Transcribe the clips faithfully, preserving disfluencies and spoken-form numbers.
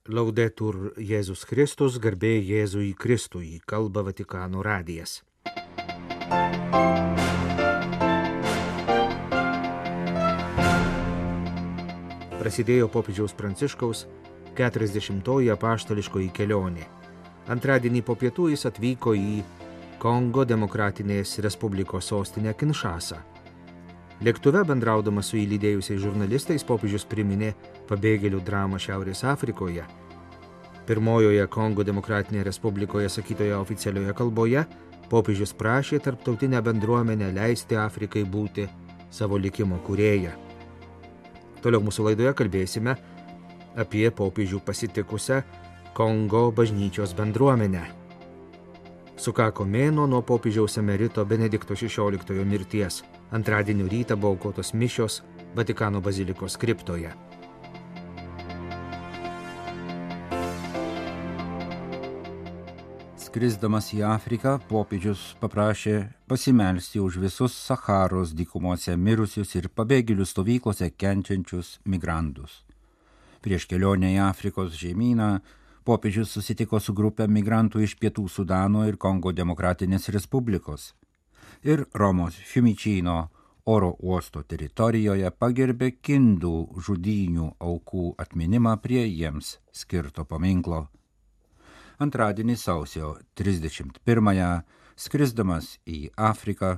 Laudetur Jėzus Kristus, garbė Jėzui Kristui, kalba Vatikano radijas. Prasidėjo popiežiaus Pranciškaus keturiasdešimtoji apaštališkoji kelionė. Antradienį po pietų jis atvyko į Kongo Demokratinės Respublikos sostinę Kinšasą. Lėktuve bendraudamas su įlydėjusiais žurnalistais popiežius priminė pabėgėlių dramą Šiaurės Afrikoje. Pirmojoje Kongo Demokratinėje Respublikoje sakytoje oficialioje kalboje popiežius prašė tarptautinę bendruomenę leisti Afrikai būti savo likimo kūrėja. Toliau mūsų laidoje kalbėsime apie popiežių pasitikusią Kongo bažnyčios bendruomenę. Sukako mėnuo nuo popiežiaus emerito Benedikto šešioliktojo mirties. Antradienio rytą buvo aukotos mišios Vatikano bazilikos kriptoje. Skrisdamas į Afriką, popiežius paprašė pasimelsti už visus Sacharos dykumose mirusius ir pabėgėlių stovyklose kenčiančius migrantus. Prieš kelionę į Afrikos žemyną popiežius susitiko su grupė migrantų iš Pietų Sudano ir Kongo Demokratinės Respublikos ir Romos Fiumicino oro uosto teritorijoje pagerbė kindų žudynių aukų atminimą prie jiems skirto paminklo. Antradienį sausio trisdešimt pirmąją, skrisdamas į Afriką,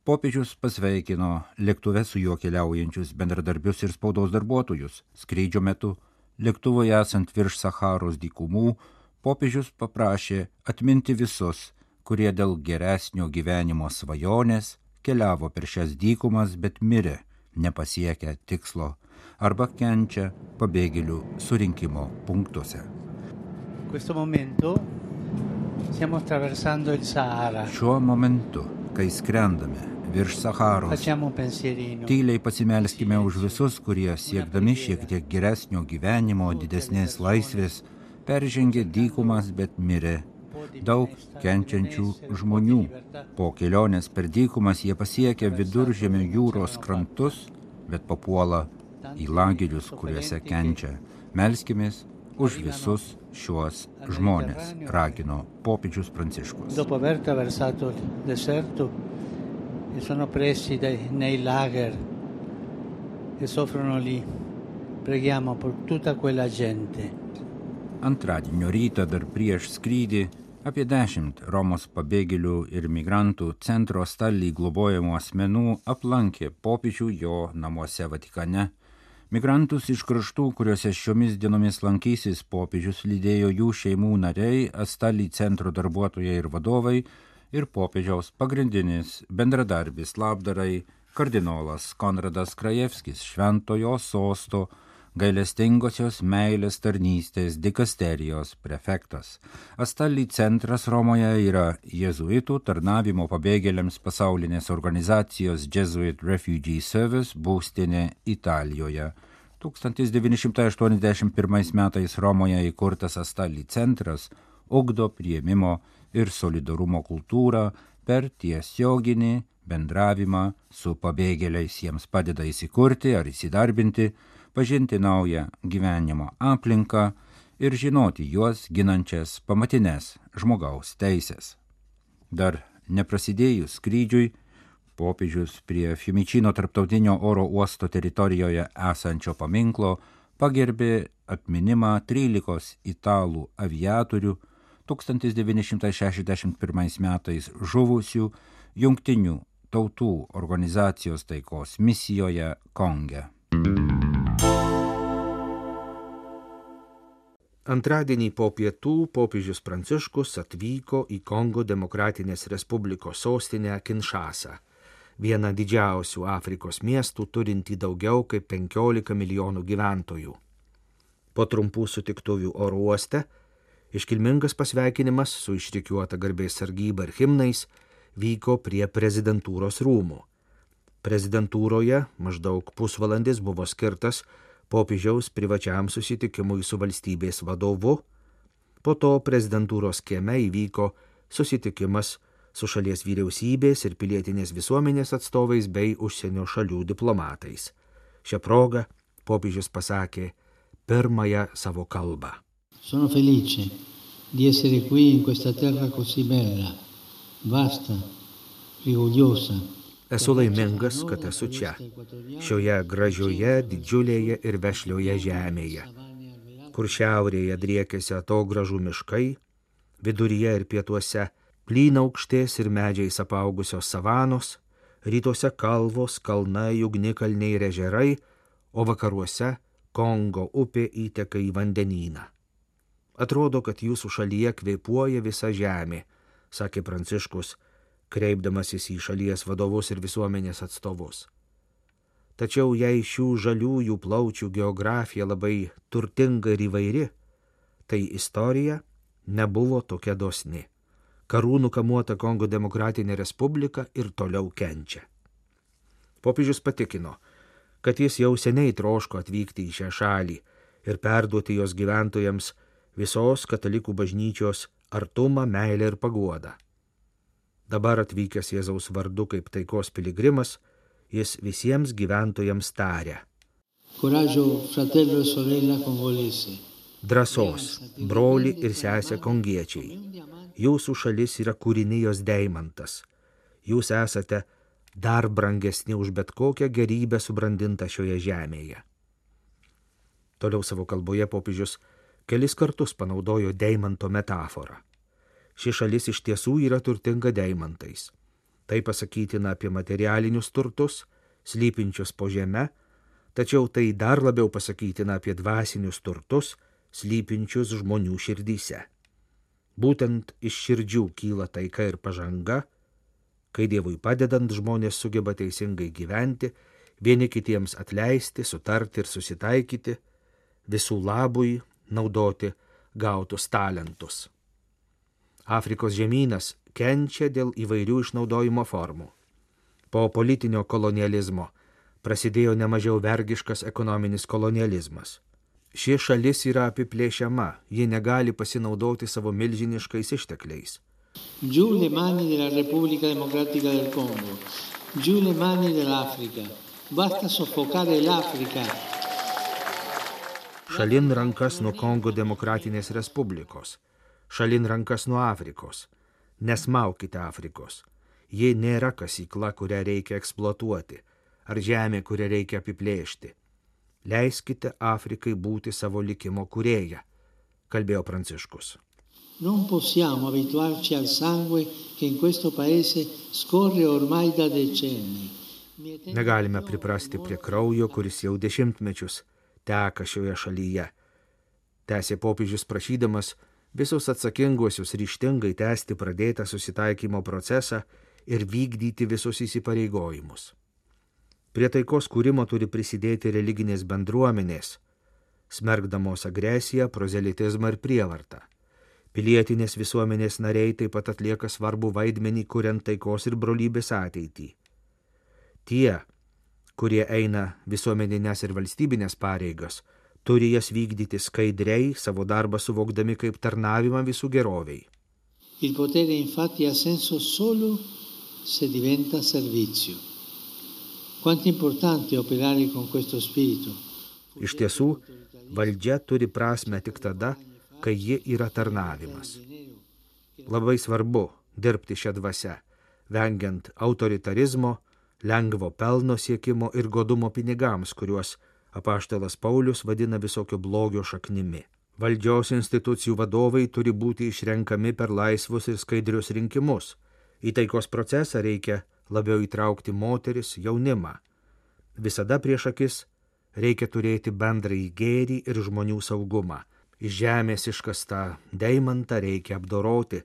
popiežius pasveikino lėktuve su juo keliaujančius bendradarbius ir spaudos darbuotojus. Skrydžio metu lėktuvui esant virš Sacharos dykumų, popiežius paprašė atminti visus, kurie dėl geresnio gyvenimo svajonės keliavo per šias dykumas, bet mirė, nepasiekę tikslo, arba kenčia pabėgėlių surinkimo punktuose. Šiuo momentu, kai skrendame virš Sacharos, tyliai pasimelskime už visus, kurie siekdami šiek tiek geresnio gyvenimo, didesnės laisvės, peržengė dykumas, bet mirė. Daug kenčiančių žmonių. Po kelionės per dykumas jie pasiekia Viduržemio jūros krantus, bet papuola į lagerius, kuriuose kenčia. Melskimės už visus šiuos žmones, ragino popiežius Pranciškus. Dopo aver attraversato il deserto e sono pressi nei lager e soffrono lì. Preghiamo per tutta quella gente. Antradienio rytą dar prieš skrydį apie dešimt Romos pabėgėlių ir migrantų centro Stali globojamų asmenų aplankė popiežių jo namuose Vatikane. Migrantus iš kraštų, kuriuose šiomis dienomis lankysis popiežius, lydėjo jų šeimų nariai, Stali centro darbuotojai ir vadovai ir popiežiaus pagrindinis bendradarbis labdarai kardinolas Konradas Krajevskis, Šventojo sosto gailestingosios meilės tarnystės dikasterijos prefektas. Stali centras Romoje yra jėzuitų tarnavimo pabėgėliams pasaulinės organizacijos Jesuit Refugee Service būstinė Italijoje. tūkstantis devyni šimtai aštuoniasdešimt pirmais metais Romoje įkurtas Stali centras ugdo priėmimo ir solidarumo kultūrą per tiesioginį bendravimą su pabėgėliais. Jiems padeda įsikurti ar įsidarbinti, pažinti naują gyvenimo aplinką ir žinoti juos ginančias pamatinės žmogaus teisės. Dar neprasidėjus skrydžiui, popiežius prie Fiumicino tarptautinio oro uosto teritorijoje esančio paminklo pagerbė atminimą trylikos italų aviatorių tūkstantis devyni šimtai šešiasdešimt pirmais metais žuvusių Jungtinių tautų organizacijos taikos misijoje Konge. Antradienį po pietų popiežius Pranciškus atvyko į Kongo Demokratinės Respublikos sostinę Kinšasą, vieną didžiausių Afrikos miestų turinti daugiau kaip penkiolika milijonų gyventojų. Po trumpų sutiktuvių oro uoste iškilmingas pasveikinimas su išrikiuota garbės sargyba ir himnais vyko prie prezidentūros rūmų. Prezidentūroje maždaug pusvalandis buvo skirtas popiežiaus privačiam susitikimui su valstybės vadovu. Po to prezidentūros kieme įvyko susitikimas su šalies vyriausybės ir pilietinės visuomenės atstovais bei užsienio šalių diplomatais. Šią progą popiežius pasakė pirmąją savo kalbą. Sono felice di essere qui in questa terra così bella, vasta, rigogliosa. Esu laimingas, kad esu čia, šioje gražioje, didžiulėje ir vešlioje žemėje, kur šiaurėje driekiasi atogražų miškai, viduryje ir pietuose plynaukštės ir medžiais apaugusios savanos, rytuose kalvos, kalnai, ugnikalniai ir ežerai, o vakaruose Kongo upė įteka į vandenyną. Atrodo, kad jūsų šalyje kvėpuoja visa žemė, sakė Pranciškus, kreipdamasis į šalies vadovus ir visuomenės atstovus. Tačiau jei šių žaliųjų plaučių geografija labai turtinga ir įvairi, tai istorija nebuvo tokia dosni. Karūnų kamuota Kongo demokratinė respublika ir toliau kenčia. Popiežius patikino, kad jis jau seniai troško atvykti į šią šalį ir perduoti jos gyventojams visos katalikų bažnyčios artumą, meilę ir paguodą. Dabar atvykęs Jėzaus vardu kaip taikos piligrimas, jis visiems gyventojams taria. Coraggio, fratello e sorella congolese. Drąsos, broli ir sesė kongiečiai. Jūsų šalis yra kūrinijos deimantas. Jūs esate dar brangesni už bet kokią gerybę subrandintą šioje žemėje. Toliau savo kalboje popiežius kelis kartus panaudojo deimanto metaforą. Ši šalis iš tiesų yra turtinga deimantais. Tai pasakytina apie materialinius turtus, slypinčius po žeme, tačiau tai dar labiau pasakytina apie dvasinius turtus, slypinčius žmonių širdyse. Būtent iš širdžių kyla taika ir pažanga, kai Dievui padedant žmonės sugeba teisingai gyventi, vieni kitiems atleisti, sutarti ir susitaikyti, visų labui naudoti gautus talentus. Afrikos žemynas kenčia dėl įvairių išnaudojimo formų. Po politinio kolonializmo prasidėjo nemažiau vergiškas ekonominis kolonializmas. Ši šalis yra apiplėšiama, ji negali pasinaudoti savo milžiniškais ištekliais. Giù le mani della Repubblica Democratica del Congo, giù le mani dell'Africa, basta soffocare l'Africa. Šalin rankas nuo Kongo Demokratinės Respublikos, šalin rankas nuo Afrikos. Nesmaukite Afrikos. Ji nėra kasykla, kurią reikia eksploatuoti, ar žemė, kurią reikia apiplėšti. Leiskite Afrikai būti savo likimo kūrėja, kalbėjo Pranciškus. Non possiamo abituarci al sangue che in questo paese scorre ormai da decenni. Negalime priprasti prie kraujo, kuris jau dešimtmečius teka šioje šalyje. Tęsė popiežius prašydamas visus atsakinguosius ryžtingai tęsti pradėtą susitaikymo procesą ir vykdyti visus įsipareigojimus. Prie taikos kūrimo turi prisidėti religinės bendruomenės, smerkdamos agresiją, prozelitizmą ir prievartą. Pilietinės visuomenės nariai taip pat atlieka svarbų vaidmenį, kuriant taikos ir brolybės ateitį. Tie, kurie eina visuomeninės ir valstybinės pareigas, turi jas vykdyti skaidriai, savo darbą suvokdami kaip tarnavimą visų geroviai. Il potere infatti ha senso solo se diventa servizio. Quanto importante operare con questo spirito. Iš tiesų, valdžia turi prasmę tik tada, kai ji yra tarnavimas. Labai svarbu dirbti šią dvasią, vengiant autoritarizmo, lengvo pelno siekimo ir godumo pinigams, kuriuos apaštalas Paulius vadina visokio blogio šaknimi. Valdžios institucijų vadovai turi būti išrenkami per laisvus ir skaidrius rinkimus. Į taikos procesą reikia labiau įtraukti moteris, jaunimą. Visada prieš akis reikia turėti bendrąjį gėrį ir žmonių saugumą. Iš žemės iškastą deimantą reikia apdoroti,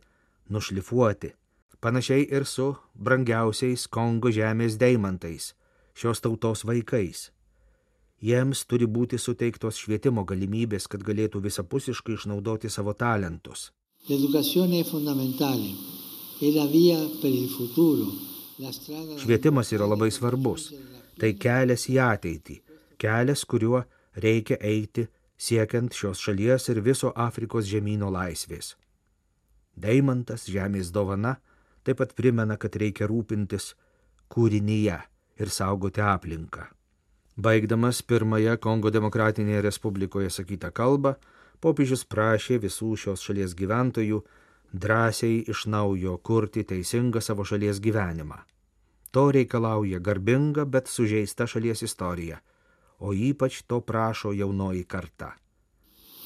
nušlifuoti. Panašiai ir su brangiausiais Kongo žemės deimantais, šios tautos vaikais. Jiems turi būti suteiktos švietimo galimybės, kad galėtų visapusiškai išnaudoti savo talentus. L'educazione è fondamentale, è la via per il futuro. Švietimas yra labai svarbus. Tai kelias į ateitį, kelias, kuriuo reikia eiti siekiant šios šalies ir viso Afrikos žemyno laisvės. Deimantas, žemės dovana, taip pat primena, kad reikia rūpintis kūrinyje ir saugoti aplinką. Baigdamas pirmąją Kongo Demokratinėje Respublikoje sakytą kalbą, popiežius prašė visų šios šalies gyventojų drąsiai iš naujo kurti teisingą savo šalies gyvenimą. To reikalauja garbinga, bet sužeista šalies istorija, o ypač to prašo jaunoji karta.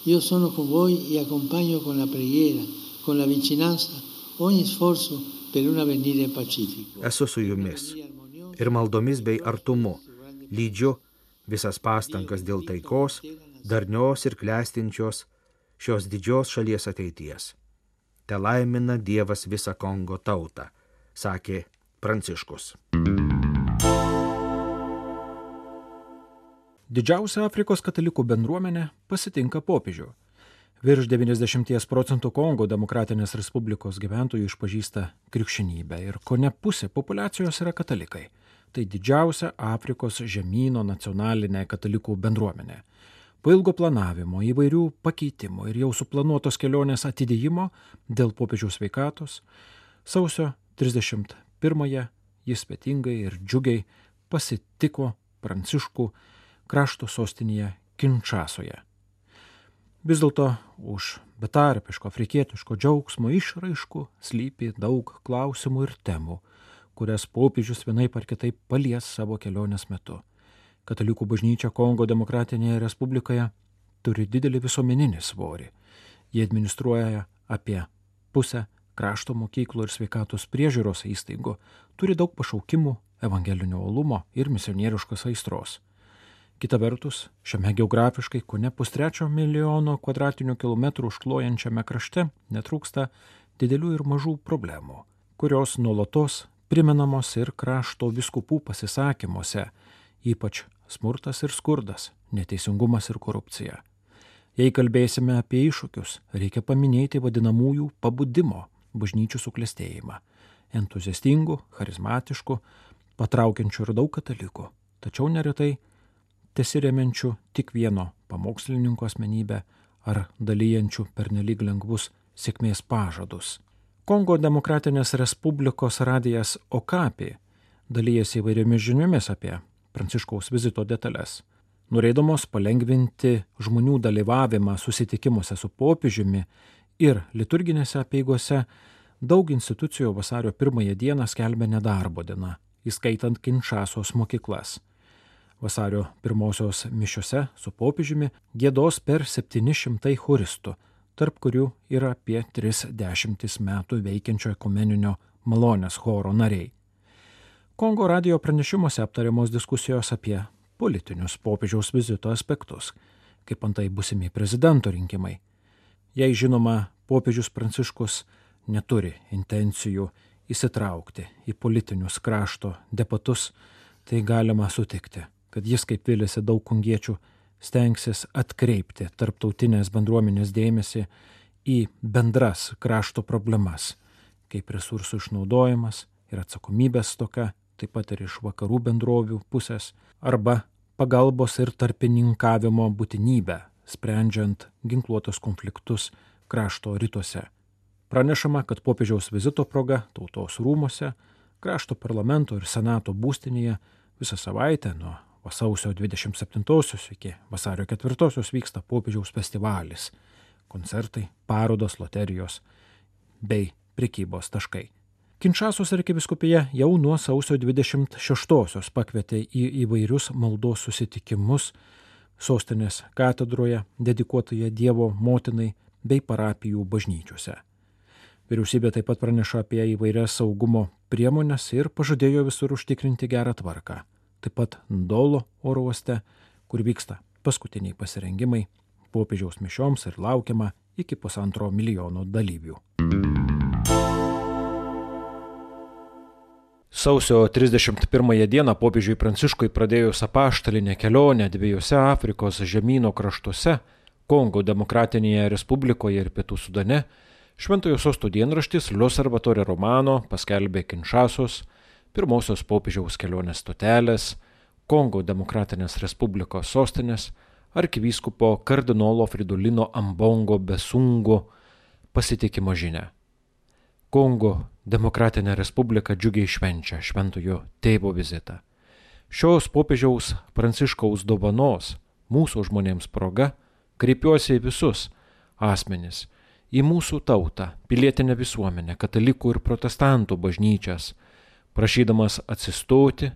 Io sono con voi e accompagno con la preghiera, con la vicinanza, ogni sforzo per un avvenire pacifico. Esu su jumis ir maldomis bei artumu lydžiu visas pastangas dėl taikos, darnios ir klestinčios šios didžios šalies ateities. Te laimina Dievas visą Kongo tautą, sakė Pranciškus. Didžiausia Afrikos katalikų bendruomenė pasitinka popiežių. Virš devyniasdešimt procentų Kongo Demokratinės Respublikos gyventojų išpažįsta krikščionybę ir kone pusė populiacijos yra katalikai. Tai didžiausia Afrikos žemyno nacionalinė katalikų bendruomenė. Po ilgo planavimo, įvairių pakeitimų ir jau suplanuotos kelionės atidėjimo dėl popiežiaus sveikatos, sausio trisdešimt pirmąją jis svetingai ir džiugiai pasitiko Pranciškų krašto sostinėje Kinčasoje. Vis dėlto už betarpiško afrikietiško džiaugsmo išraiškų slypi daug klausimų ir temų, kurias popiežius vienaip ar kitaip palies savo kelionės metu. Katalikų bažnyčia Kongo Demokratinėje Respublikoje turi didelį visuomeninį svorį. Jie administruoja apie pusę krašto mokyklų ir sveikatos priežiūros įstaigų, turi daug pašaukimų, evangelinio uolumo ir misionieriškos aistros. Kita vertus, šiame geografiškai kone pustrečio milijono kvadratinių kilometrų užklojančiame krašte netrūksta didelių ir mažų problemų, kurios nuolatos primenamos ir krašto vyskupų pasisakymuose, ypač smurtas ir skurdas, neteisingumas ir korupcija. Jei kalbėsime apie iššūkius, reikia paminėti vadinamųjų pabudimo bažnyčių suklestėjimą, entuziastingų, charizmatiškų, patraukiančių ir daug katalikų, tačiau neretai tesiremiančių tik vieno pamokslininko asmenybę ar dalyjančių pernelyg lengvus sėkmės pažadus. Kongo Demokratinės Respublikos radijas Okapi dalyjasi įvairiomis žiniomis apie Pranciškaus vizito detalės. Norėdamos palengvinti žmonių dalyvavimą susitikimuose su popiežiumi ir liturginėse apeigose, daug institucijų vasario pirmąją dieną skelbia nedarbo dieną, įskaitant Kinčasos mokyklas. Vasario pirmosios mišiose su popiežiumi giedos per septyni šimtai choristų, tarp kurių yra apie tris dešimtis metų veikiančio ekumeninio malonės choro nariai. Kongo radijo pranešimuose aptariamos diskusijos apie politinius popiežiaus vizito aspektus, kaip antai būsimi prezidento rinkimai. Jei žinoma, popiežius Pranciškus neturi intencijų įsitraukti į politinius krašto debatus, tai galima sutikti, kad jis, kaip vylėsi daug kongiečių, stengsis atkreipti tarptautinės bendruomenės dėmesį į bendras krašto problemas, kaip resursų išnaudojimas ir atsakomybės stoka, taip pat ir iš vakarų bendrovių pusės, arba pagalbos ir tarpininkavimo būtinybę, sprendžiant ginkluotus konfliktus krašto rytuose. Pranešama, kad popiežiaus vizito proga Tautos rūmuose, krašto parlamento ir senato būstinėje visą savaitę nuo sausio dvidešimt septintosios iki vasario ketvirtosios vyksta popiežiaus festivalis, koncertai, parodos, loterijos bei prekybos taškai. Kinčasos arkivyskupija jau nuo sausio dvidešimt šeštosios pakvietė į įvairius maldos susitikimus sostinės katedroje dedikuotoje Dievo motinai bei parapijų bažnyčiose. Vyriausybė taip pat praneša apie įvairias saugumo priemonės ir pažadėjo visur užtikrinti gerą tvarką. Taip pat Ndolo oro uoste, kur vyksta paskutiniai pasirengimai popiežiaus mišioms ir laukiama iki pusantro milijono dalyvių. Sausio trisdešimt pirmąją dieną popiežiui Pranciškui pradėjus apaštalinę kelionę dviejose Afrikos žemyno kraštuose, Kongo Demokratinėje Respublikoje ir Pietų Sudane, Šventojo sosto dienraštis L'Osservatore Romano paskelbė Kinčasos, pirmosios popiežiaus kelionės stotelės, Kongo Demokratinės Respublikos sostinės, arkivyskupo kardinolo Fridolino Ambongo Besungo pasitikimo žinią. Kongo Demokratinė Respublika džiugiai švenčia šventojo tėvo vizitą. Šios popiežiaus Pranciškaus dovanos mūsų žmonėms proga kreipiuosi į visus, asmenis, į mūsų tautą, pilietinę visuomenę, katalikų ir protestantų bažnyčias, prašydamas atsistoti,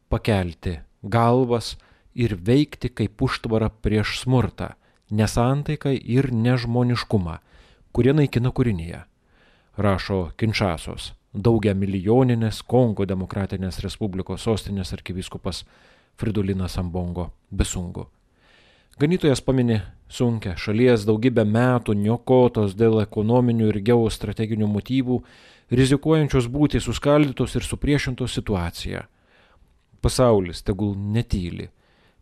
pakelti galvas ir veikti kaip užtvara prieš smurtą, nesantaiką ir nežmoniškumą, kurie naikina kūrinyje, rašo Kinšasos, daugia milijoninės Kongo Demokratinės Respublikos sostinės arkivyskupas Fridolinas Ambongo Besungu. Ganytojas pamini sunkią šalies daugybę metų niokotos dėl ekonominių ir geostrateginių motyvų, rizikuojančios būti suskaldytos ir supriešintos situaciją. Pasaulis tegul netyli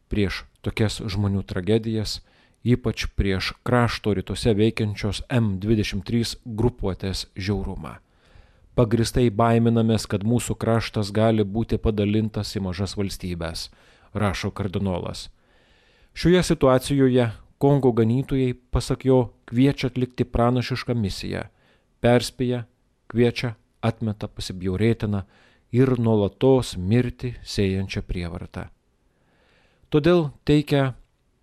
prieš tokias žmonių tragedijas, ypač prieš krašto rytuose veikiančios M dvidešimt trys grupuotės žiaurumą. Pagristai baiminamės, kad mūsų kraštas gali būti padalintas į mažas valstybės, rašo kardinolas. Šioje situacijoje Kongo ganytojai, pasak jo, kviečia atlikti pranašišką misiją, perspėja, kviečia, atmeta pasibjaurėtiną ir nuolatos mirti sėjančią prievartą. Todėl teikia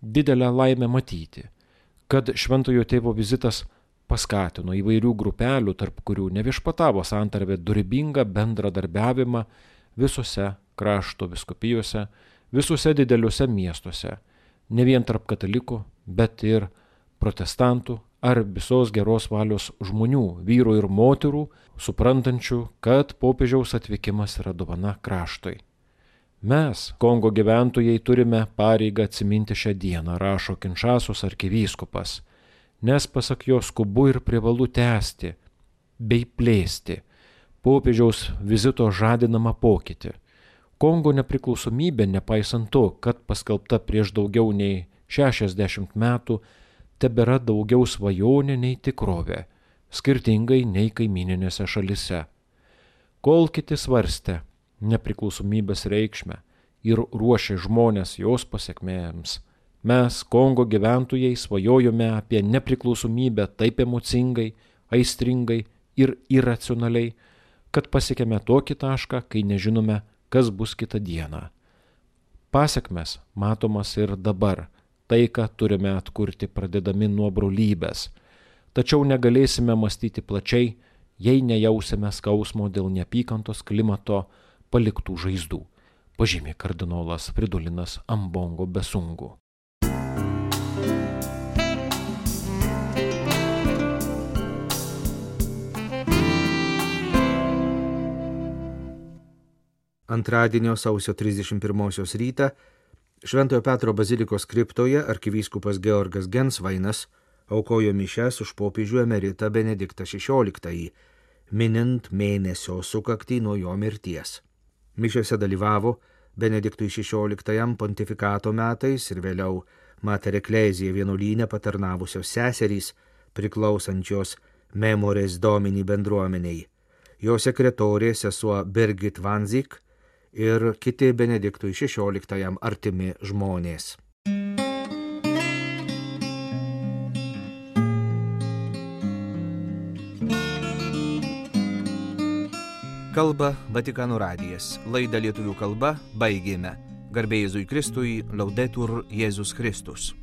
didelę laimę matyti, kad šventojo tėvo vizitas paskatino įvairių grupelių, tarp kurių neviešpatavo santarvė, dorybingą bendradarbiavimą visose krašto vyskupijose, visuose dideliuose miestuose, ne vien tarp katalikų, bet ir protestantų ar visos geros valios žmonių, vyrų ir moterų, suprantančių, kad popiežiaus atvykimas yra dovana kraštui. Mes, Kongo gyventojai, turime pareigą atsiminti šią dieną, rašo Kinšasos arkivyskupas, nes pasak jo skubu ir privalu tęsti bei plėsti popiežiaus vizito žadinamą pokytį. Kongo nepriklausomybė, nepaisant to, kad paskelbta prieš daugiau nei šešiasdešimt metų, tebėra daugiau svajonė nei tikrovė, skirtingai nei kaimininėse šalise. Kol kiti svarstė nepriklausomybės reikšmę ir ruošė žmonės jos pasekmėms, mes, Kongo gyventojai, svajojome apie nepriklausomybę taip emocingai, aistringai ir iracionaliai, kad pasiekėme tokį tašką, kai nežinome, kas bus kitą dieną. Pasekmes matomas ir dabar, taiką turime atkurti pradedami nuo brolybės, tačiau negalėsime mąstyti plačiai, jei nejausime skausmo dėl neapykantos klimato paliktų žaizdų, pažymė kardinolas Fridolinas Ambongo Besungu. Antradienio sausio trisdešimt pirmosios rytą Šventojo Petro bazilikos kriptoje arkivyskupas Georgas Gensvainas aukojo mišias už popiežių emeritą Benediktą šešioliktąjį, minint mėnesio sukaktį nuo jo mirties. Mišiose dalyvavo Benediktui šešioliktajam pontifikato metais ir vėliau Mater Ecclesiae vienuolyne patarnavusios seserys, priklausančios Memores Domini bendruomeniai, jo sekretorė sesuo Birgit Vanzik ir kiti Benediktui šešioliktajam artimi žmonės. Kalba Vatikano radijas. Laidą lietuvių kalba baigėme. Garbė Jėzui Kristui, Laudetur Jėzus Kristus.